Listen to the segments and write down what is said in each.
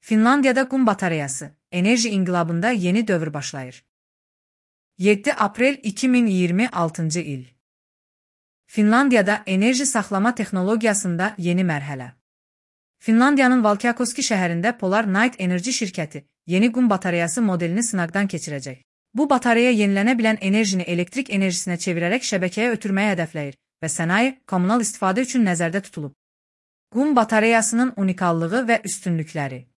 Finlandiyada qum batareyası, enerji inqilabında yeni dövr başlayır. 7 aprel 2026 il. Finlandiyada enerji saxlama texnologiyasında yeni mərhələ. Finlandiyanın Valkeakoski şəhərində Polar Night Enerji şirkəti yeni qum batareyası modelini sınaqdan keçirəcək. Bu batareya yenilənə bilən enerjini elektrik enerjisinə çevirərək şəbəkəyə ötürməyi hədəfləyir və sənaye, kommunal istifadə üçün nəzərdə tutulub. Qum batareyasının unikallığı və üstünlükləri.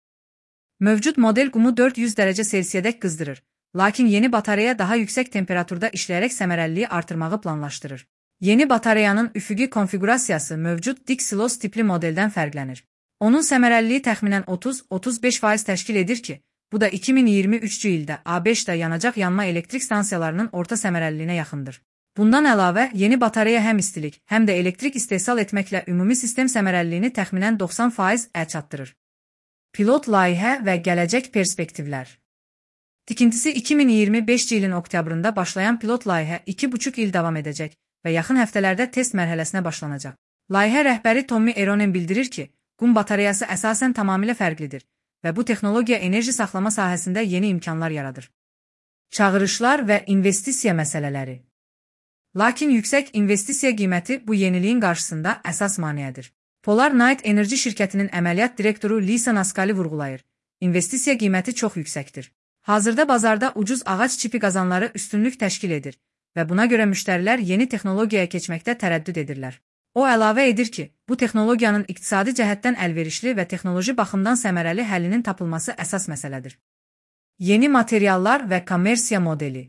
Mövcud model qumu 400 dərəcə Selsiyədək qızdırır, lakin yeni batareya daha yüksək temperaturda işləyərək səmərəliliyi artırmağı planlaşdırır. Yeni batareyanın üfüqi konfigurasiyası mövcud dik silos tipli modeldən fərqlənir. Onun səmərəliliyi təxminən 30-35% təşkil edir ki, bu da 2023-cü ildə ABŞ-da yanacaq yanma elektrik stansiyalarının orta səmərəliliyinə yaxındır. Bundan əlavə, yeni batareya həm istilik, həm də elektrik istehsal etməklə ümumi sistem səmərəliliyini təxminən 90% çatdırır. Pilot layihə və gələcək perspektivlər. Tikintisi 2025-ci ilin oktyabrında başlayan pilot layihə 2,5 il davam edəcək və yaxın həftələrdə test mərhələsinə başlanacaq. Layihə rəhbəri Tommi Eronen bildirir ki, qum batareyası əsasən tamamilə fərqlidir və bu texnologiya enerji saxlama sahəsində yeni imkanlar yaradır. Çağırışlar və investisiya məsələləri. Lakin yüksək investisiya qiyməti bu yeniliyin qarşısında əsas maneədir. Polar Night Enerji şirkətinin əməliyyat direktoru Lisa Naskali vurğulayır. İnvestisiya qiyməti çox yüksəkdir. Hazırda bazarda ucuz ağac çipi qazanları üstünlük təşkil edir və buna görə müştərilər yeni texnologiyaya keçməkdə tərəddüd edirlər. O əlavə edir ki, bu texnologiyanın iqtisadi cəhətdən əlverişli və texnoloji baxımdan səmərəli həllinin tapılması əsas məsələdir. Yeni materiallar və kommersiya modeli.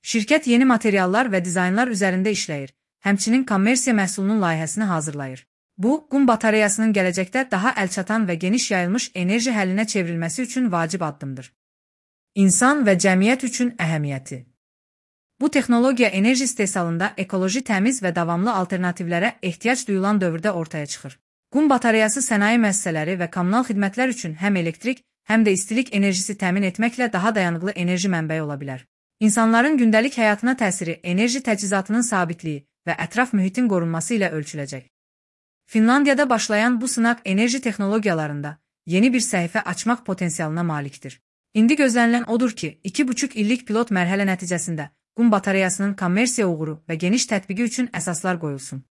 Şirkət yeni materiallar və dizaynlar üzərində işləyir, həmçinin kommersiya məhsulunun layihəsini hazırlayır. Bu, qum batareyasının gələcəkdə daha əlçatan və geniş yayılmış enerji həllinə çevrilməsi üçün vacib addımdır. İnsan və cəmiyyət üçün əhəmiyyəti. Bu texnologiya enerji istehsalında ekoloji təmiz və davamlı alternativlərə ehtiyac duyulan dövrdə ortaya çıxır. Qum batareyası sənaye müəssisələri və kommunal xidmətlər üçün həm elektrik, həm də istilik enerjisi təmin etməklə daha dayanıqlı enerji mənbəyi ola bilər. İnsanların gündəlik həyatına təsiri enerji təchizatının sabitliyi və ətraf mühitin qorunması ilə ölçüləcək. Finlandiyada başlayan bu sınaq enerji texnologiyalarında yeni bir səhifə açmaq potensialına malikdir. İndi gözlənilən odur ki, 2,5 illik pilot mərhələ nəticəsində qum batareyasının kommersiya uğuru və geniş tətbiqi üçün əsaslar qoyulsun.